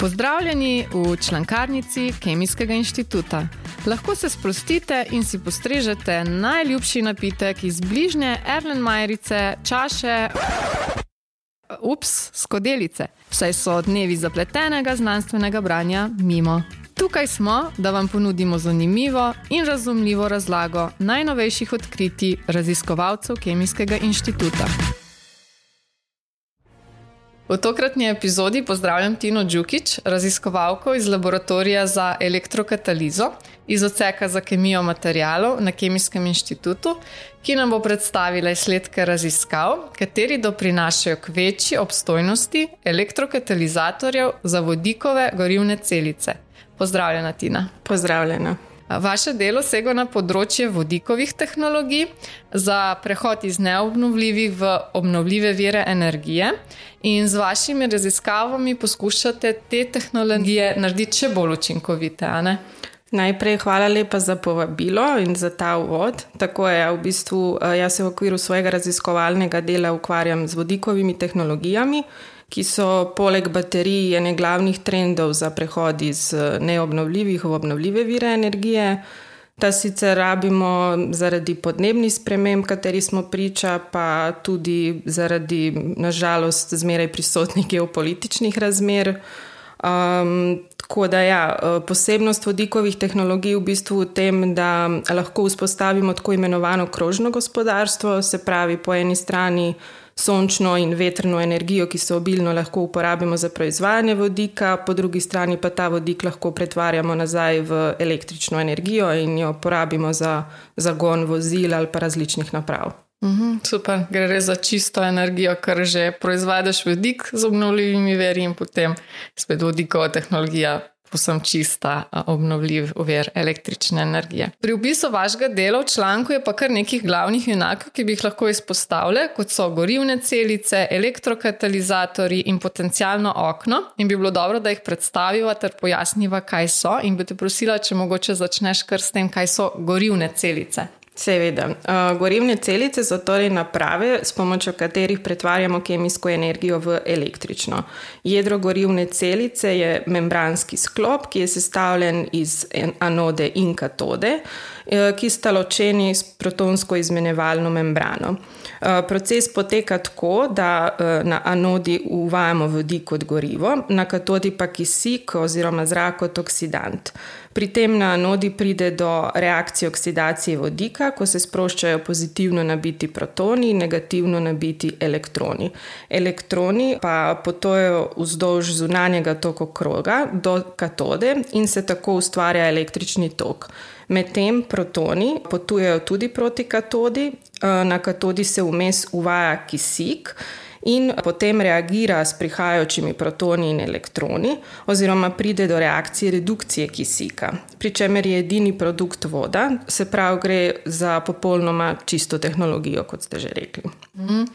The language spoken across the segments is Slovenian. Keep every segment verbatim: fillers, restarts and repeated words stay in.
Pozdravljeni v člankarnici Kemijskega inštituta. Lahko se sprostite in si postrežete najljubši napitek iz bližnje Erlenmajerice, čaše, ups, skodelice, saj so dnevi zapletenega znanstvenega branja mimo. Tukaj smo, da vam ponudimo zanimivo in razumljivo razlago najnovejših odkritij raziskovalcev Kemijskega inštituta. V tokratni epizodi pozdravljam Tino Đukić, raziskovalko iz laboratorija za elektrokatalizo iz odseka za kemijo materialov na Kemijskem inštitutu, ki nam bo predstavila izsledke raziskav, kateri doprinašajo k večji obstojnosti elektrokatalizatorjev za vodikove gorivne celice. Pozdravljena, Tina. Pozdravljena. Vaše delo sega na področje vodikovih tehnologij za prehod iz neobnovljivih v obnovljive vire energije in z vašimi raziskavami poskušate te tehnologije narediti še bolj učinkovite, a ne? Najprej hvala lepa za povabilo in za ta uvod. Tako je, v bistvu jaz se v okviru svojega raziskovalnega dela ukvarjam z vodikovimi tehnologijami, ki so poleg baterij ene glavnih trendov za prehod iz neobnovljivih v obnovljive vire energije. Ta sicer rabimo zaradi podnebnih sprememb, kateri smo priča, pa tudi zaradi, na žalost, zmeraj prisotnih geopolitičnih razmer. Um, tako da ja, posebnost vodikovih tehnologij v bistvu v tem, da lahko vzpostavimo tako imenovano krožno gospodarstvo, se pravi po eni strani sončno in vetrno energijo, ki se obilno lahko uporabimo za proizvajanje vodika, po drugi strani pa ta vodik lahko pretvarjamo nazaj v električno energijo in jo porabimo za zagon vozil ali pa različnih naprav. Uhum, super, gre res za čisto energijo, ker že proizvedeš vodik z obnovljivimi viri in potem spet vodikova tehnologija povsem čista obnovljiv vir električne energije. Pri opisu vašega dela v članku je pa kar nekih glavnih junakov, ki bi jih lahko izpostavili, kot so gorivne celice, elektrokatalizatorji in potencialno okno, in bi bilo dobro, da jih predstaviva ter pojasniva, kaj so, in bi te prosila, če mogoče začneš kar s tem, kaj so gorivne celice. Seveda. Gorivne celice so torej naprave, s pomočjo katerih pretvarjamo kemijsko energijo v električno. Jedro gorivne celice je membranski sklop, ki je sestavljen iz anode in katode, ki sta ločeni s protonsko izmenjevalno membrano. Proces poteka tako, da na anodi uvajamo vodik kot gorivo, na katodi pa kisik oziroma zrak kot oksidant. Pri tem na anodi pride do reakcije oksidacije vodika, ko se sproščajo pozitivno nabiti protoni in negativno nabiti elektroni. Elektroni pa potujejo vzdolž zunanjega toka kroga do katode in se tako ustvarja električni tok. Medtem protoni potujejo tudi proti katodi, na katodi se vmes uvaja kisik in potem reagira s prihajajočimi protoni in elektroni oziroma pride do reakcije redukcije kisika, pri čemer je edini produkt voda, se pravi gre za popolnoma čisto tehnologijo, kot ste že rekli. Mm.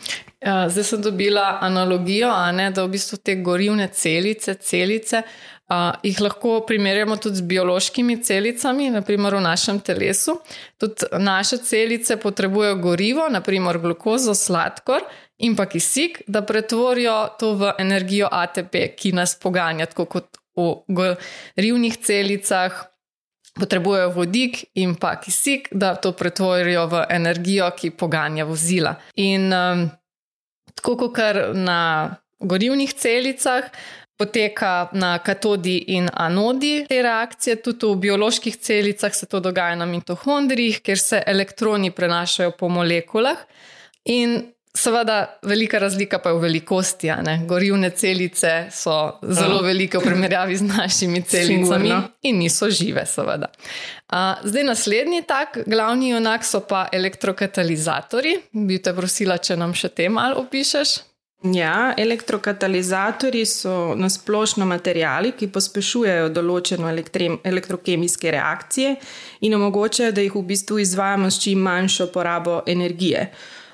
Zdaj sem dobila analogijo, a ne, da v bistvu te gorivne celice, celice, Uh, jih lahko primerjamo tudi z biološkimi celicami, naprimer v našem telesu. Tudi naše celice potrebujejo gorivo, naprimer glukozo, sladkor in pa kisik, da pretvorijo to v energijo A T P, ki nas poganja, tako kot v gorivnih celicah potrebujejo vodik in pa kisik, da to pretvorijo v energijo, ki poganja vozila. In um, tako kot na gorivnih celicah poteka na katodi in anodi te reakcije, tudi v bioloških celicah se to dogaja na mitohondrijih, kjer se elektroni prenašajo po molekulah in seveda velika razlika pa je v velikosti, a ne? Gorivne celice so zelo velike v primerjavi z našimi celicami in niso žive, seveda. Zdaj naslednji tak glavni junak so pa elektrokatalizatorji. Bi te prosila, če nam še te malo opišeš? Ja, elektrokatalizatorji so nasplošno materiali, ki pospešujejo določeno elektrokemijske reakcije in omogočajo, da jih v bistvu izvajamo s čim manjšo porabo energije.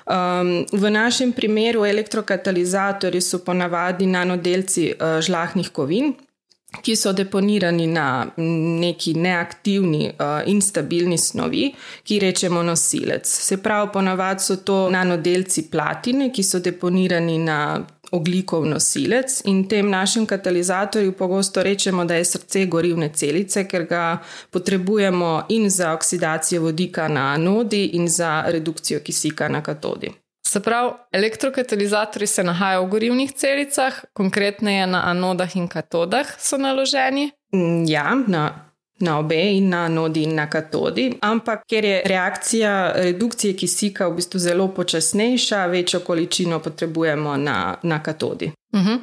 Um, v našem primeru elektrokatalizatorji so ponavadi nanodelci uh, žlahnih kovin, ki so deponirani na neki neaktivni uh, in stabilni snovi, ki rečemo nosilec. Se pravi, ponavadi so to nanodelci platine, ki so deponirani na ogljikov nosilec in tem našim katalizatorju pogosto rečemo, da je srce gorivne celice, ker ga potrebujemo in za oksidacijo vodika na anodi in za redukcijo kisika na katodi. Se pravi, elektrokatalizatorji se nahajajo v gorivnih celicah, konkretneje na anodah in katodah so naloženi? Ja, na na obe in na anodi in na katodi, ampak ker je reakcija redukcije kisika v bistvu zelo počasnejša, večjo količino potrebujemo na, na katodi. Uh-huh.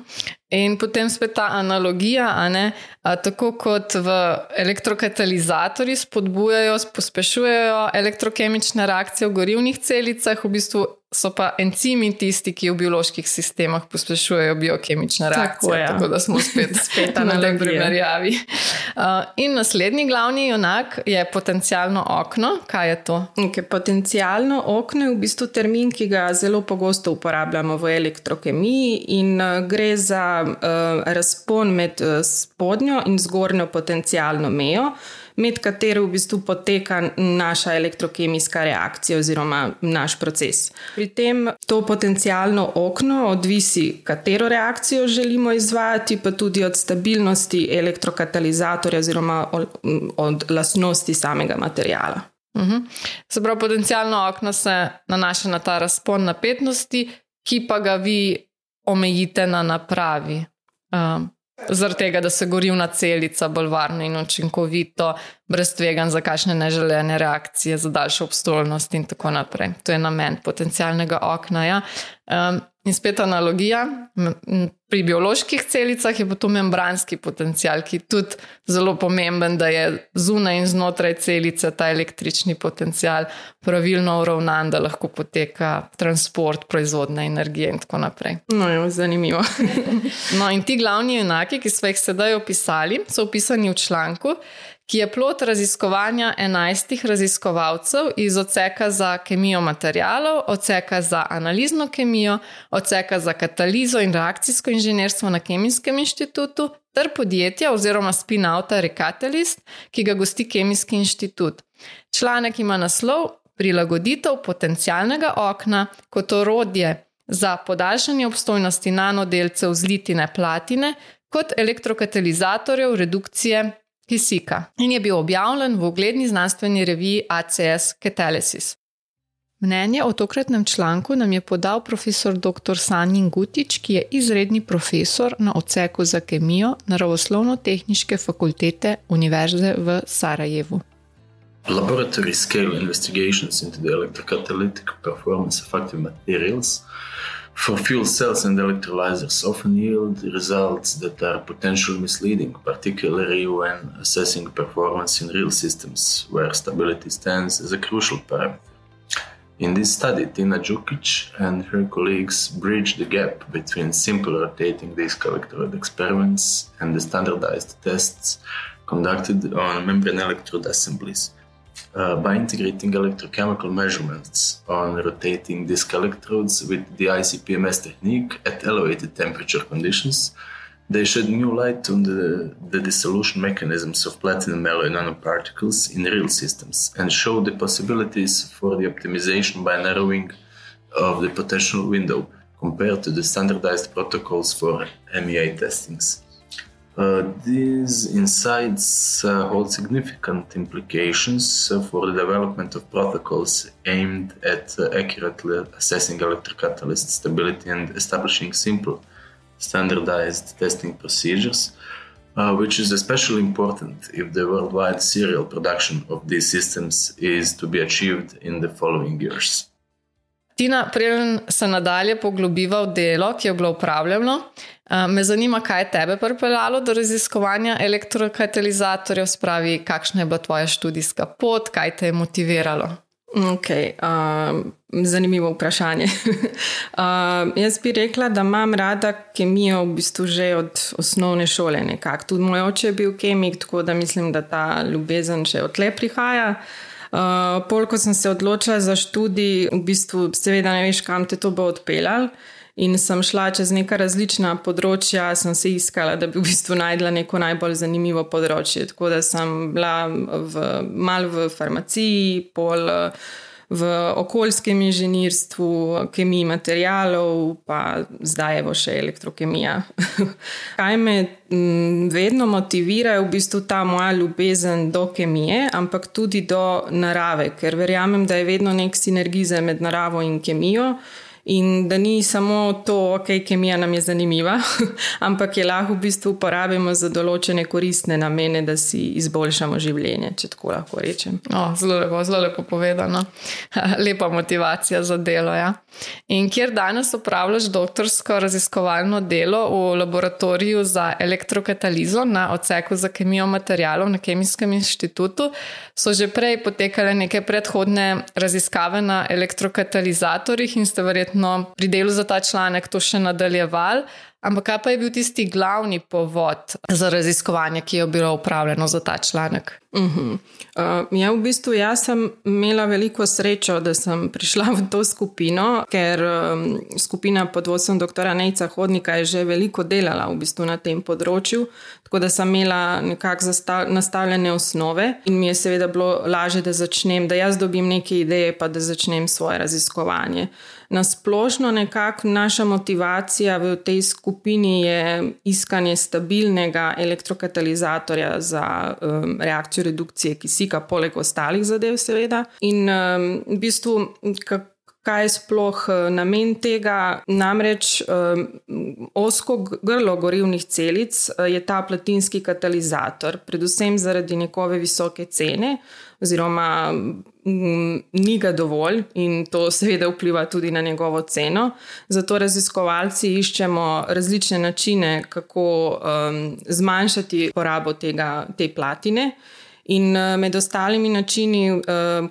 In potem spet ta analogija, a ne, a, tako kot v elektrokatalizatorji spodbujajo, pospešujejo elektrokemične reakcije v gorivnih celicah, v bistvu so pa encimi tisti, ki v bioloških sistemah pospešujejo biokemične reakcije, tako, ja. Tako da smo spet, spet na tem primerjavi. Uh, in naslednji glavni junak je potencialno okno. Kaj je to? Okay, potencialno okno je v bistvu termin, ki ga zelo pogosto uporabljamo v elektrokemiji in uh, gre za uh, razpon med uh, spodnjo in zgornjo potencialno mejo, med katero v bistvu poteka naša elektrokemijska reakcija oziroma naš proces. Pri tem to potencialno okno odvisi, katero reakcijo želimo izvajati, pa tudi od stabilnosti elektrokatalizatorja oziroma od, od lastnosti samega materiala. Uh-huh. Se pravi, potencialno okno se nanaša na ta razpon napetnosti, ki pa ga vi omejite na napravi. Um. Zaradi tega, da se gorivna celica bolj varno in učinkovito, brez tveganj za kakšne neželene reakcije, za daljšo obstojnost in tako naprej. To je namen potencialnega okna. Ja. Um, in spet analogija, pri bioloških celicah je pa to membranski potencial, ki je tudi zelo pomemben, da je zunaj in znotraj celice ta električni potencial pravilno uravnan, da lahko poteka transport, proizvodna energije in tako naprej. No, je zanimivo. No, in ti glavni junaki, ki smo jih sedaj opisali, so opisani v članku, ki je plod raziskovanja enajstih raziskovalcev iz odseka za kemijo materialov, odseka za analizno kemijo, odseka za katalizo in reakcijsko inženirstvo na Kemijskem inštitutu ter podjetja oziroma spin-outa Recatalyst, ki ga gosti Kemijski inštitut. Članek ima naslov Prilagoditev potencialnega okna kot orodje za podaljšanje obstojnosti nanodelcev zlitine platine kot elektrokatalizatorjev redukcije kisika in je bil objavljen v ugledni znanstveni reviji A C S Catalysis. Mnenje o tokratnem članku nam je podal profesor doktor Sanjin Gutić, ki je izredni profesor na odseku za kemijo Naravoslovno-tehniške fakultete Univerze v Sarajevu. Laboratory scale investigations into the electrocatalytic performance of active materials for fuel cells and electrolyzers often yield results that are potentially misleading, particularly when assessing performance in real systems, where stability stands as a crucial parameter. In this study, Tina Đukić and her colleagues bridged the gap between simple rotating disk electrode experiments and the standardized tests conducted on membrane electrode assemblies. Uh, by integrating electrochemical measurements on rotating disk electrodes with the I C P M S technique at elevated temperature conditions, they shed new light on the, the dissolution mechanisms of platinum alloy nanoparticles in real systems and showed the possibilities for the optimization by narrowing of the potential window compared to the standardized protocols for M E A testings. Uh, these insights uh, hold significant implications uh, for the development of protocols aimed at uh, accurately assessing electrocatalyst stability and establishing simple, standardized testing procedures, uh, which is especially important if the worldwide serial production of these systems is to be achieved in the following years. Tina, preden se nadalje poglobiva v delo, ki je bilo upravljeno, me zanima, kaj je tebe pripeljalo do raziskovanja elektrokatalizatorjev, spravi, kakšna je bila tvoja študijska pot, kaj te je motiviralo? Ok, uh, zanimivo vprašanje. uh, jaz bi rekla, da imam rada kemijo v bistvu že od osnovne šole nekako. Tudi moj oče je bil kemik, tako da mislim, da ta ljubezen še odtle prihaja. Uh, pol, ko sem se odločila za študij, v bistvu seveda ne veš, kam te to bo odpeljal in sem šla čez neka različna področja, sem se iskala, da bi v bistvu najdla neko najbolj zanimivo področje. Tako da sem bila v, mal v farmaciji, pol v okoljskem inženirstvu, kemiji materialov, pa zdaj evo še elektrokemija. Kaj me vedno motivira je v bistvu ta moja ljubezen do kemije, ampak tudi do narave, ker verjamem, da je vedno nek sinergizem med naravo in kemijo. In da ni samo to, ok, kemija nam je zanimiva, ampak je lahko v bistvu uporabimo za določene koristne namene, da si izboljšamo življenje, če tako lahko rečem. O, zelo lepo, zelo lepo povedano. Lepa motivacija za delo, ja. In kjer danes opravljaš doktorsko raziskovalno delo v laboratoriju za elektrokatalizo na odseku za kemijo materialov na Kemijskem inštitutu, so že prej potekale neke predhodne raziskave na elektrokatalizatorjih in ste verjetno pri delu za ta članek to še nadaljeval, ampak kaj pa je bil tisti glavni povod za raziskovanje, ki je bilo upravljeno za ta članek? Uh-huh. Uh, ja, v bistvu jaz sem imela veliko srečo, da sem prišla v to skupino, ker um, skupina pod vodstvom doktora Nejca Hodnika je že veliko delala v bistvu na tem področju, tako da sem imela nekako zastav, nastavljene osnove in mi je seveda bilo lažje, da začnem, da jaz dobim neke ideje, pa da začnem svoje raziskovanje. Na splošno nekako naša motivacija v tej skupini je iskanje stabilnega elektrokatalizatorja za um, reakcijo redukcije kisika, poleg ostalih zadev seveda. In um, v bistvu, kaj je sploh namen tega? Namreč um, ozko grlo gorivnih celic je ta platinski katalizator, predvsem zaradi njegove visoke cene, oziroma m, ni ga dovolj in to seveda vpliva tudi na njegovo ceno. Zato raziskovalci iščemo različne načine, kako um, zmanjšati porabo tega, te platine. In med ostalimi načini,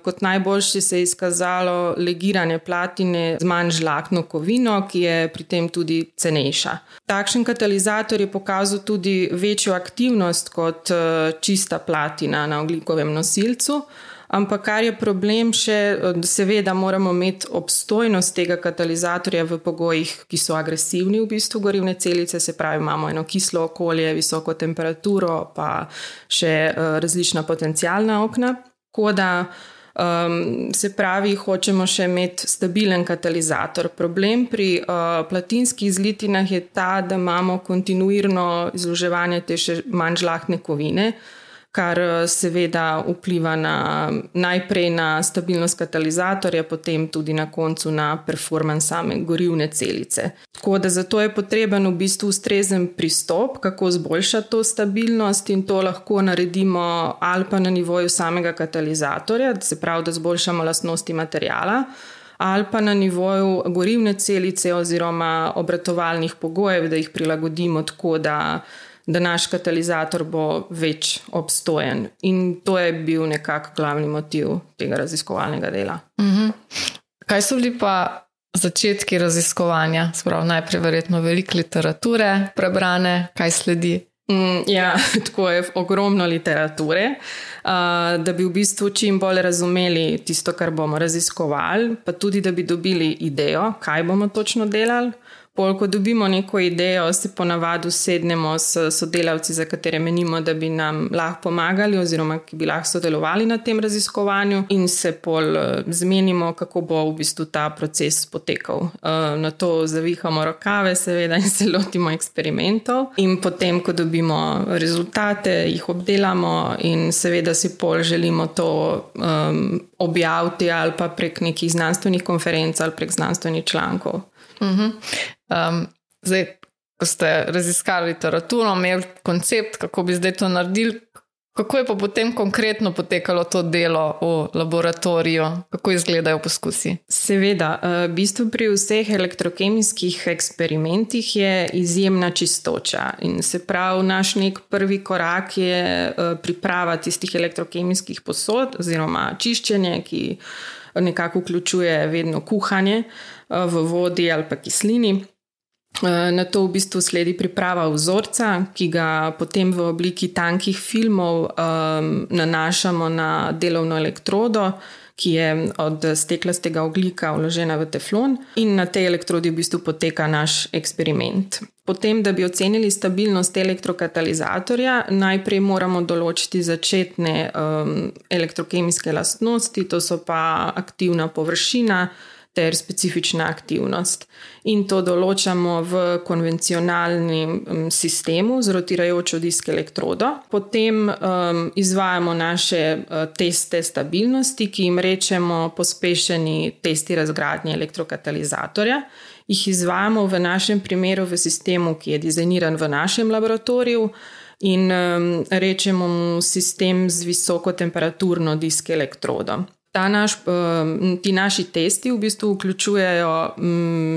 kot najboljši se je izkazalo legiranje platine z manj žlahtno kovino, ki je pri tem tudi cenejša. Takšen katalizator je pokazal tudi večjo aktivnost kot čista platina na ogljikovem nosilcu, ampak kar je problem še, seveda moramo imeti obstojnost tega katalizatorja v pogojih, ki so agresivni v bistvu gorivne celice, se pravi imamo eno kislo okolje, visoko temperaturo, pa še različna potencialna okna. Tako da um, se pravi, hočemo še imeti stabilen katalizator. Problem pri uh, platinskih zlitinah je ta, da imamo kontinuirno izloževanje te še manj žlahtne kovine, kar seveda vpliva na, najprej na stabilnost katalizatorja, potem tudi na koncu na performans same gorivne celice. Tako da zato je potreben v bistvu ustrezen pristop, kako zboljšati to stabilnost in to lahko naredimo ali pa na nivoju samega katalizatorja, se pravi, da zboljšamo lastnosti materijala, ali pa na nivoju gorivne celice oziroma obratovalnih pogojev, da jih prilagodimo tako, da da naš katalizator bo več obstojen. In to je bil nekako glavni motiv tega raziskovalnega dela. Mm-hmm. Kaj so bili pa začetki raziskovanja? Sprav, najprej verjetno veliko literature prebrane, kaj sledi? Mm, ja, tako je ogromno literature, uh, da bi v bistvu čim bolj razumeli tisto, kar bomo raziskovali, pa tudi, da bi dobili idejo, kaj bomo točno delali. Pol, ko dobimo neko idejo, se ponavadi sednemo s sodelavci, za katere menimo, da bi nam lahko pomagali oziroma ki bi lahko sodelovali na tem raziskovanju in se pol zmenimo, kako bo v bistvu ta proces potekal. Na to zavihamo rokave seveda in se lotimo eksperimentov in potem, ko dobimo rezultate, jih obdelamo in seveda si pol želimo to um, objaviti ali pa prek nekih znanstvenih konferenc ali prek znanstvenih člankov. Uh-huh. Um, zdaj, ko ste raziskali literaturo, imeli koncept, kako bi zdaj to naredili, kako je pa potem konkretno potekalo to delo v laboratoriju, kako izgledajo poskusi? Seveda, v bistvu pri vseh elektrokemijskih eksperimentih je izjemna čistoča in se pravi, naš nek prvi korak je priprava tistih elektrokemijskih posod oziroma čiščenje, ki nekako vključuje vedno kuhanje v vodi ali pa kislini. Na to v bistvu sledi priprava vzorca, ki ga potem v obliki tankih filmov um, nanašamo na delovno elektrodo, ki je od steklastega ogljika vložena v teflon in na tej elektrodi v bistvu poteka naš eksperiment. Potem, da bi ocenili stabilnost elektrokatalizatorja, najprej moramo določiti začetne um, elektrokemijske lastnosti, to so pa aktivna površina ter specifična aktivnost. In to določamo v konvencionalnem sistemu z rotirajočo disk elektrodo. Potem um, izvajamo naše uh, teste stabilnosti, ki jim rečemo pospešeni testi razgradnje elektrokatalizatorja. Jih izvajamo v našem primeru v sistemu, ki je dizajniran v našem laboratoriju in um, rečemo mu sistem z visokotemperaturno disk elektrodo. Ta naš, ti naši testi v bistvu vključujejo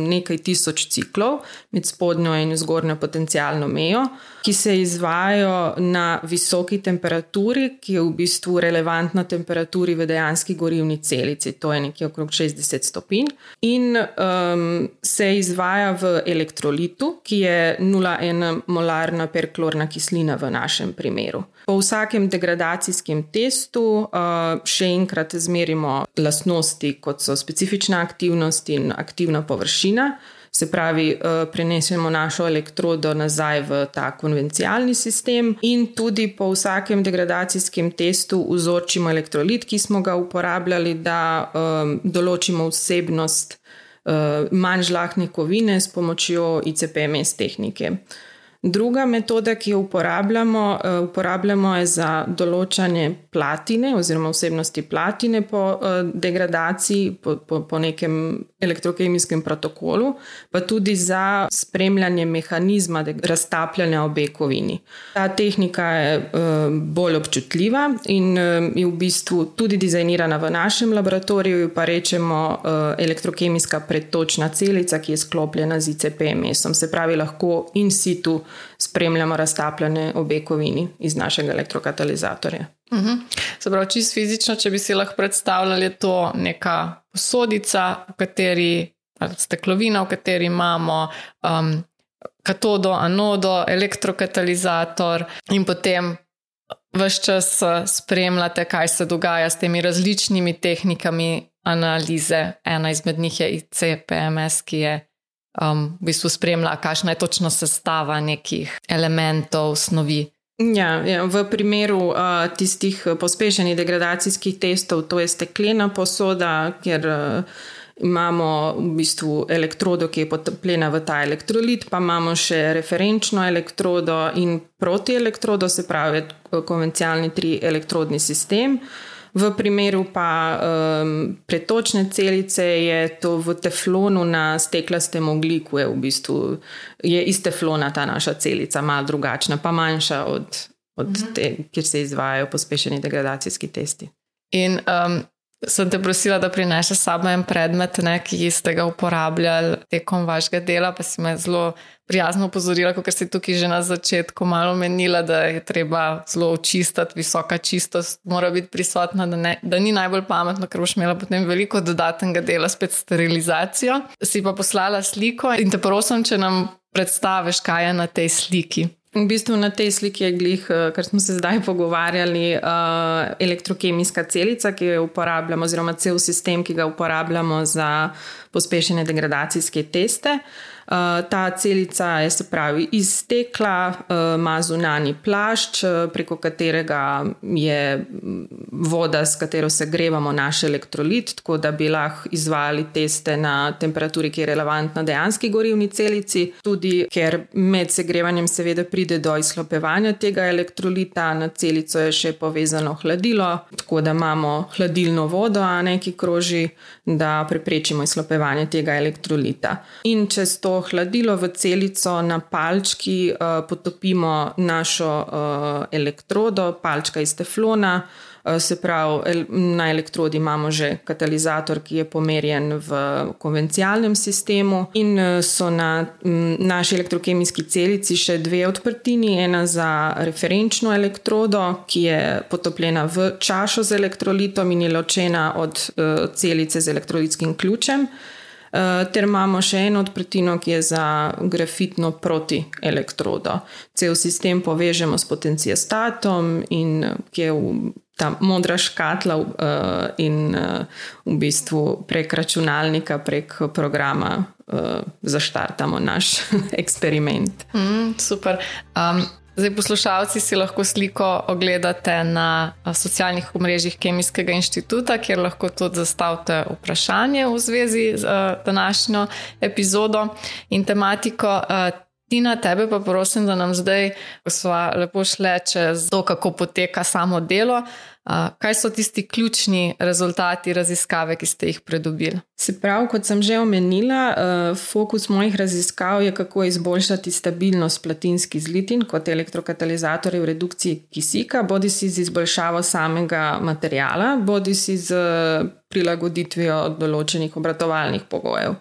nekaj tisoč ciklov med spodnjo in zgornjo potencialno mejo, ki se izvajajo na visoki temperaturi, ki je v bistvu relevantna temperaturi v dejanski gorivni celici, to je nekje okrog šestdeset stopinj, in um, se izvaja v elektrolitu, ki je nula celih ena molarna perklorna kislina v našem primeru. Po vsakem degradacijskem testu uh, še enkrat zmerimo lastnosti, kot so specifična aktivnost in aktivna površina. Se pravi, prenesemo našo elektrodo nazaj v ta konvencialni sistem in tudi po vsakem degradacijskem testu vzorčimo elektrolit, ki smo ga uporabljali, da um, določimo vsebnost uh, manj žlahtne kovine s pomočjo I C P M S tehnike. Druga metoda, ki jo uporabljamo, uporabljamo je za določanje platine oziroma vsebnosti platine po degradaciji, po, po, po nekem elektrokemijskem protokolu, pa tudi za spremljanje mehanizma raztapljanja obe kovini. Ta tehnika je bolj občutljiva in je v bistvu tudi dizajnirana v našem laboratoriju, pa rečemo elektrokemijska predtočna celica, ki je sklopljena z I C P M S-om. Se pravi, lahko in situ spremljamo raztapljanje obe kovini iz našega elektrokatalizatorja. Uh-huh. Se pravi, čisto fizično, če bi si lahko predstavljali, je to neka posodica, v kateri, ali steklovina, v kateri imamo um, katodo, anodo, elektrokatalizator in potem ves čas spremljate, kaj se dogaja s temi različnimi tehnikami analize. Ena izmed njih je I C P M S, ki je Um, v bistvu spremlja, kakšna je točno sestava nekih elementov, snovi. Ja, ja, v primeru uh, tistih pospešenih degradacijskih testov, to je steklena posoda, kjer uh, imamo v bistvu elektrodo, ki je potopljena v ta elektrolit, pa imamo še referenčno elektrodo in protielektrodo, se pravi konvencialni tri elektrodni sistem. V primeru pa um, pretočne celice je to v teflonu na steklastem ogljiku, je v bistvu je iz teflona ta naša celica, malo drugačna, pa manjša od, od mm-hmm. te, kjer se izvajajo pospešeni degradacijski testi. In um, sem te prosila, da prineseš sabo en predmet, ne, ki ste ga uporabljali tekom vašega dela, pa si me zelo prijazno opozorila, kot si tukaj že na začetku malo menila, da je treba zelo očistiti, visoka čistost mora biti prisotna, da, ne, da ni najbolj pametno, ker boš imela potem veliko dodatnega dela spet sterilizacijo. Si pa poslala sliko in te prosim, če nam predstaviš, kaj je na tej sliki. V bistvu na tej sliki je glih, kar smo se zdaj pogovarjali, elektrokemijska celica, ki jo uporabljamo, oziroma cel sistem, ki ga uporabljamo za pospešene degradacijske teste. Ta celica je, se pravi, iz stekla, ima zunanji plašč, preko katerega je voda, s katero segrevamo naš elektrolit, tako da bi lahko izvajali teste na temperaturi, ki je relevantna dejanski gorivni celici. Tudi ker med segrevanjem seveda pride do izhlapevanja tega elektrolita, na celico je še povezano hladilo, tako da imamo hladilno vodo, a ne, ki kroži, da preprečimo izhlapevanje tega elektrolita. In čez to hladilo v celico na palčki uh, potopimo našo uh, elektrodo, palčka iz teflona, uh, se pravi, el- na elektrodi imamo že katalizator, ki je pomerjen v konvencialnem sistemu in uh, so na m, naši elektrokemijski celici še dve odprtini, ena za referenčno elektrodo, ki je potopljena v čašo z elektrolitom in je ločena od uh, celice z elektrolitskim ključem. Uh, ter imamo še eno odprtino, ki je za grafitno protielektrodo. Cel sistem povežemo s potenciostatom in ki je v ta modra škatla uh, in uh, v bistvu prek računalnika, prek programa uh, zaštartamo naš eksperiment. Mm, super. Um, zdaj poslušalci si lahko sliko ogledate na socialnih omrežjih Kemijskega inštituta, kjer lahko tudi zastavite vprašanje v zvezi z uh, današnjo epizodo in tematiko. Uh, Tina, tebe pa prosim, da nam zdaj, ko sva lepo šle čez to, kako poteka samo delo, kaj so tisti ključni rezultati raziskave, ki ste jih pridobili? Se pravi, kot sem že omenila, fokus mojih raziskav je, kako izboljšati stabilnost platinskih zlitin kot elektrokatalizatorje v redukciji kisika, bodi si z izboljšavo samega materijala, bodi si z prilagoditvijo določenih obratovalnih pogojev.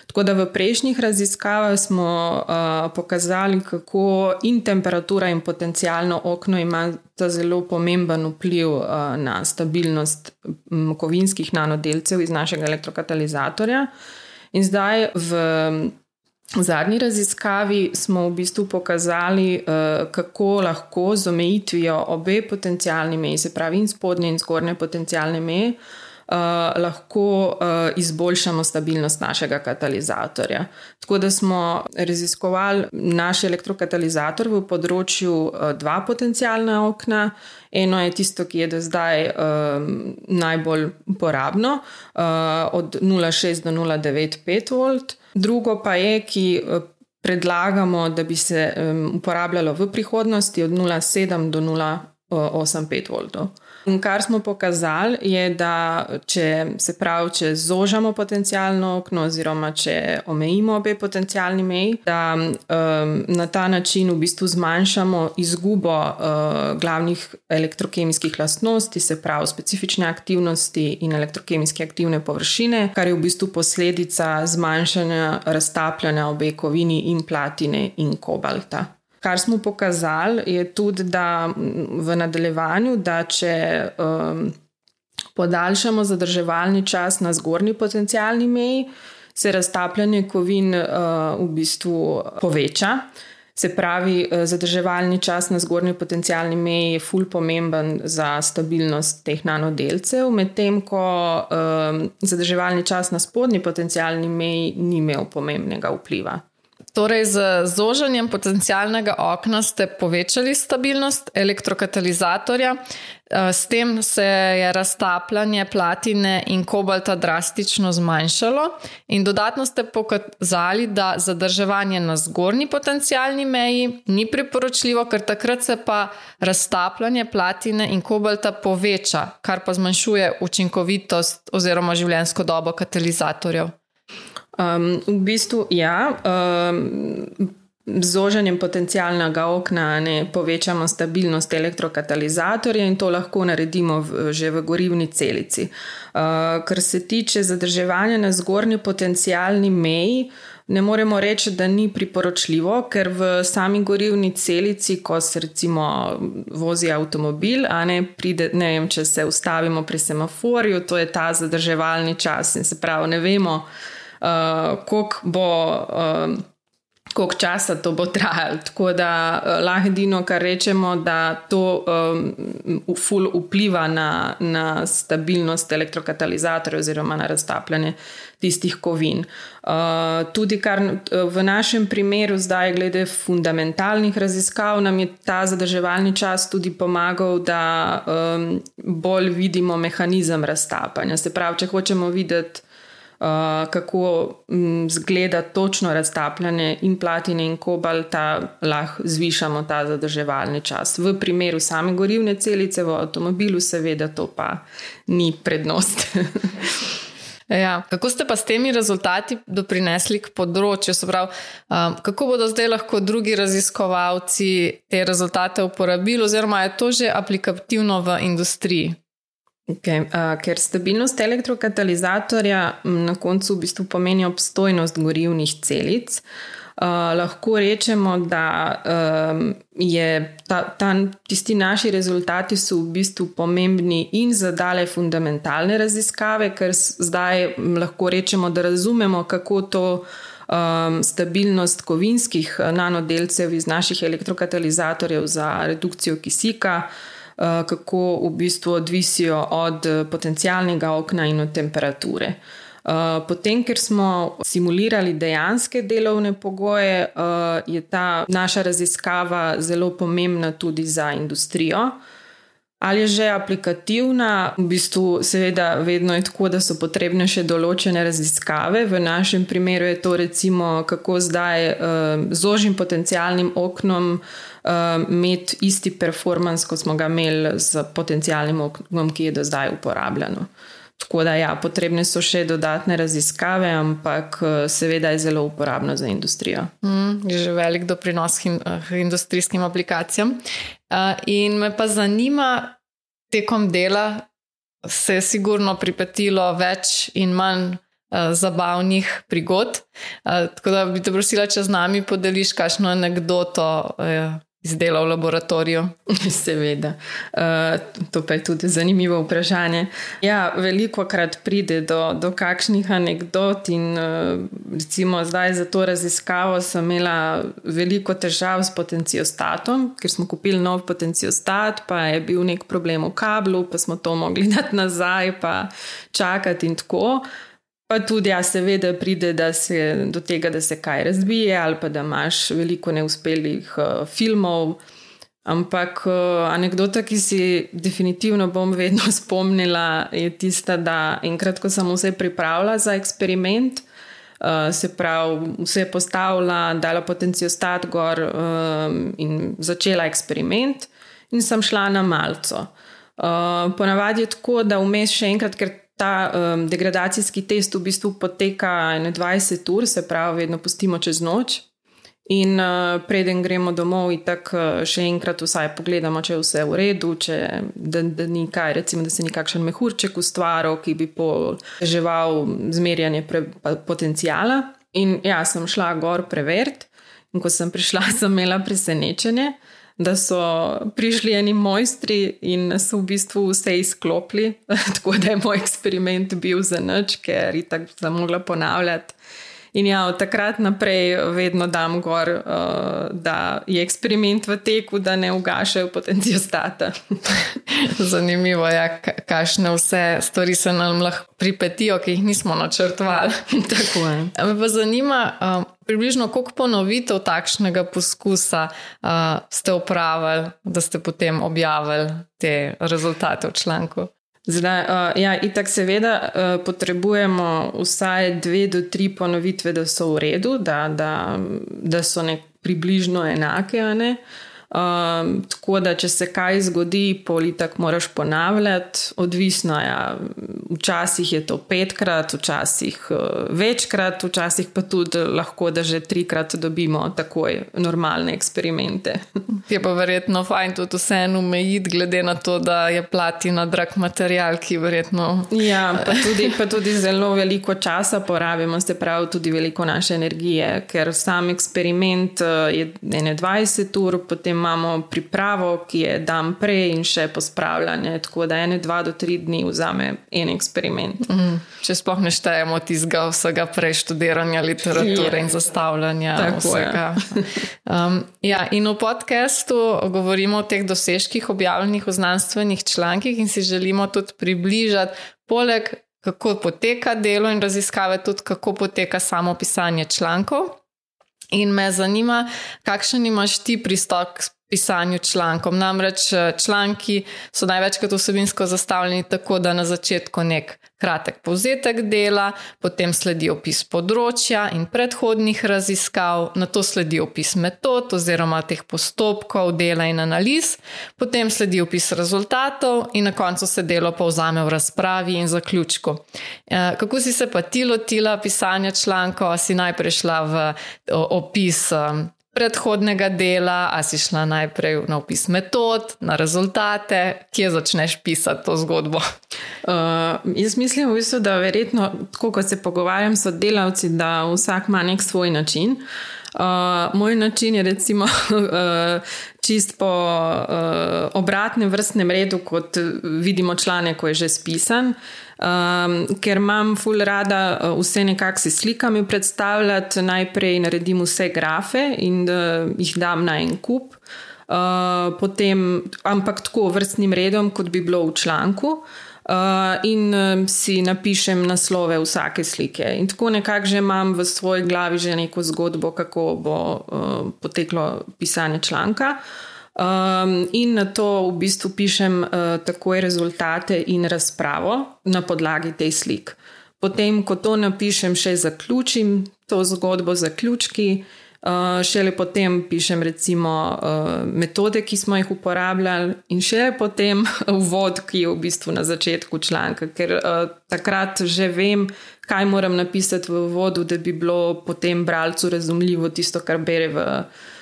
Tako da v prejšnjih raziskavah smo uh, pokazali, kako in temperatura in potencialno okno imata zelo pomemben vpliv uh, na stabilnost um, kovinskih nanodelcev iz našega elektrokatalizatorja. In zdaj v zadnji raziskavi smo v bistvu pokazali, uh, kako lahko z omejitvijo obe potencialni meji, se pravi in spodnje in zgornje potencialne meje, Uh, lahko uh, izboljšamo stabilnost našega katalizatorja. Tako da smo raziskovali naš elektrokatalizator v področju uh, dva potencialna okna. Eno je tisto, ki je do zdaj uh, najbolj uporabno, uh, od nula celih šest do nula celih devet pet volt. Drugo pa je, ki uh, predlagamo, da bi se um, uporabljalo v prihodnosti od nula celih sedem do nula celih osem pet voltov. In kar smo pokazali je, da če se pravi, če zožamo potencialno okno oziroma če omejimo obe potencialni meji, da um, na ta način v bistvu zmanjšamo izgubo uh, glavnih elektrokemijskih lastnosti, se pravi specifične aktivnosti in elektrokemijske aktivne površine, kar je v bistvu posledica zmanjšanja raztapljanja obe kovini in platine in kobalta. Kar smo pokazali je tudi, da v nadaljevanju, da če um, podaljšamo zadrževalni čas na zgornji potencialni meji, se raztapljanje kovin uh, v bistvu poveča. Se pravi, zadrževalni čas na zgornji potencialni meji je ful pomemben za stabilnost teh nanodelcev, medtem ko um, zadrževalni čas na spodnji potencialni meji ni imel pomembnega vpliva. Torej, z zožanjem potencialnega okna ste povečali stabilnost elektrokatalizatorja, s tem se je raztapljanje platine in kobalta drastično zmanjšalo in dodatno ste pokazali, da zadrževanje na zgornji potencialni meji ni priporočljivo, ker takrat se pa raztapljanje platine in kobalta poveča, kar pa zmanjšuje učinkovitost oziroma življenjsko dobo katalizatorjev. Um, v bistvu, ja, um, z zožanjem potencialnega okna ne povečamo stabilnost elektrokatalizatorja in to lahko naredimo v, že v gorivni celici. Uh, kar se tiče zadrževanja na zgornji potencialni meji, ne moremo reči, da ni priporočljivo, ker v sami gorivni celici, ko se recimo vozi avtomobil, a ne pride, ne vem, če se ustavimo pri semaforju, to je ta zadrževalni čas in se pravi, ne vemo, Uh, koliko bo uh, koliko časa to bo trajalo, tako da uh, lahko edino, kar rečemo, da to um, ful vpliva na, na stabilnost elektrokatalizatorja oziroma na raztapljanje tistih kovin. Uh, tudi kar v našem primeru zdaj glede fundamentalnih raziskav nam je ta zadrževalni čas tudi pomagal, da um, bolj vidimo mehanizem raztapanja. Se pravi, če hočemo videti Uh, kako um, zgleda točno raztapljanje in platine in kobalta, lahko zvišamo ta zadrževalni čas. V primeru same gorivne celice v avtomobilu seveda to pa ni prednost. Ja, kako ste pa s temi rezultati doprinesli k področju? Se pravi, um, kako bodo zdaj lahko drugi raziskovalci te rezultate uporabili oziroma je to že aplikativno v industriji? Okay, uh, ker stabilnost elektrokatalizatorja na koncu v bistvu pomeni obstojnost gorivnih celic, uh, lahko rečemo, da um, je ta, ta, tisti naši rezultati so v bistvu pomembni in za dale fundamentalne raziskave, ker zdaj lahko rečemo, da razumemo, kako to um, stabilnost kovinskih nanodelcev iz naših elektrokatalizatorjev za redukcijo kisika kako v bistvu odvisijo od potencialnega okna in od temperature. Potem, ker smo simulirali dejanske delovne pogoje, je ta naša raziskava zelo pomembna tudi za industrijo. Ali je že aplikativna? V bistvu seveda vedno je tako, da so potrebne še določene raziskave. V našem primeru je to recimo, kako zdaj z ožjim potencialnim oknom imeti isti performance, kot smo ga imeli z potencialnim oknom, ki je do zdaj uporabljeno. Tako da ja, potrebne so še dodatne raziskave, ampak seveda je zelo uporabno za industrijo. Mm, je že velik doprinos hin, industrijskim aplikacijam. Uh, in me pa zanima, tekom dela se je sigurno pripetilo več in manj uh, zabavnih prigod. Uh, tako da bi te prosila, če z nami podeliš kakšno anekdoto uh, iz dela v laboratoriju. Seveda. Uh, to pa je tudi zanimivo vprašanje. Ja, veliko krat pride do, do kakšnih anekdot in uh, recimo zdaj za to raziskavo sem imela veliko težav s potenciostatom, ker smo kupili nov potenciostat, pa je bil nek problem v kablu, pa smo to mogli dati nazaj, pa čakati in tako. Pa tudi, ja, seveda pride da se, do tega, da se kaj razbije ali pa da imaš veliko neuspelih uh, filmov. Ampak uh, anekdota, ki si definitivno bom vedno spomnila, je tista, da enkrat, ko sem vse pripravila za eksperiment, uh, se pravi, vse postavila, dala potenciostat gor um, in začela eksperiment in sem šla na malco. Uh, ponavadi je tako, da vmes še enkrat, ker ta um, degradacijski test v bistvu poteka dvajset ur, se pravi, vedno pustimo čez noč in uh, preden gremo domov in tako uh, še enkrat vsaj pogledamo, če je vse v redu, če, da, da ni kaj, recimo, da se ni kakšen mehurček ustvaril, ki bi poteževal zmerjanje pre, potencijala. In ja, sem šla gor preveriti in ko sem prišla, sem imela presenečenje, da so prišli eni mojstri in so v bistvu vse izklopili, tako da je moj eksperiment bil za nič, ker itak sem mogla ponavljati. In ja, od takrat naprej vedno dam gor, da je eksperiment v teku, da ne ugašajo potenciostata. Zanimivo je, kakšne vse stvari se nam lahko pripetijo, ki jih nismo načrtovali. Tako je. Me pa zanima, približno koliko ponovitev takšnega poskusa ste opravili, da ste potem objavili te rezultate v članku? Zdaj, uh, ja, itak seveda uh, potrebujemo vsaj dve do tri ponovitve, da so v redu, da, da, da so nek približno enake, a ne? Um, tako da, če se kaj zgodi, pol itak moraš ponavljati, odvisno je, ja, včasih je to petkrat, včasih uh, večkrat, včasih pa tudi lahko, da že trikrat dobimo takoj normalne eksperimente. Je pa verjetno fajn tudi vseeno omejiti, glede na to, da je platina drag material, ki verjetno... Ja, pa tudi, pa tudi zelo veliko časa porabimo, se pravi tudi veliko naše energije, ker sam eksperiment uh, je dvajset ur, potem imamo pripravo, ki je dan prej in še pospravljanje, tako da ene, dva do tri dni vzame en eksperiment. Mm, če sploh ne štejemo tistega vsega preštudiranja literature ja. In zastavljanja tako vsega. Um, ja, in v podcastu govorimo o teh dosežkih objavljenih v znanstvenih člankih in si želimo tudi približati, poleg kako poteka delo in raziskave, tudi kako poteka samo pisanje člankov. In me zanima, kakšen imaš ti pristop k pisanju člankom. Namreč članki so največkrat vsebinsko zastavljeni tako, da na začetku nek kratek povzetek dela, potem sledi opis področja in predhodnih raziskav, nato sledi opis metod oziroma teh postopkov dela in analiz, potem sledi opis rezultatov in na koncu se delo povzame v razpravi in zaključku. Kako si se pa ti lotila pisanja člankov? A si najprej šla v opis predhodnega dela, a si šla najprej na opis metod, na rezultate, kje začneš pisati to zgodbo? Uh, jaz mislim v bistvu, da verjetno, tako kot se pogovarjam s delavci, da vsak ima nek svoj način. Uh, moj način je recimo uh, čist po uh, obratnem vrstnem redu, kot vidimo članek, ko je že spisan. Um, ker imam ful rada vse nekako si slikami predstavljati, najprej naredim vse grafe in uh, jih dam na en kup. uh, potem, ampak tako vrstnim redom, kot bi bilo v članku. Uh, in um, si napišem naslove vsake slike. In tako nekako že imam v svoji glavi že neko zgodbo, kako bo uh, poteklo pisanje članka. Um, in na to v bistvu pišem uh, takoj rezultate in razpravo na podlagi teh slik. Potem, ko to napišem, še zaključim to zgodbo, zaključki. Uh, šele potem pišem recimo uh, metode, ki smo jih uporabljali, in šele potem uvod, ki je v bistvu na začetku članka, ker uh, takrat že vem, kaj moram napisati v uvodu, da bi bilo potem bralcu razumljivo tisto, kar bere v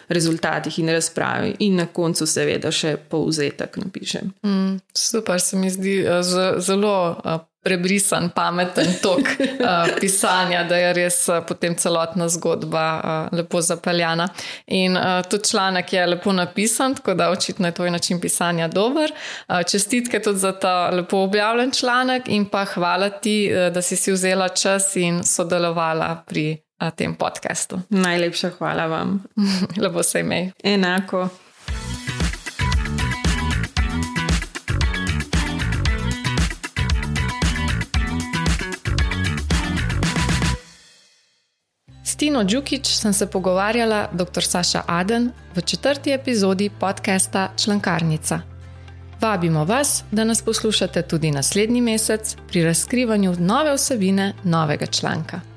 rezultatih in razpravi, in na koncu seveda še povzetek napišem. Mm, super, se mi zdi uh, zelo uh, prebrisan, pameten tok uh, pisanja, da je res uh, potem celotna zgodba uh, lepo zapeljana. In uh, tudi članek je lepo napisan, tako da očitno je tvoj način pisanja dober. Uh, čestitke tudi za ta lepo objavljen članek in pa hvala ti, uh, da si si vzela čas in sodelovala pri uh, tem podcastu. Najlepša hvala vam. Lepo se imej. Enako. S Tino Đukić sem se pogovarjala dr. Saša Aden v četrti epizodi podcasta Člankarnica. Vabimo vas, da nas poslušate tudi naslednji mesec pri razkrivanju nove vsebine novega članka.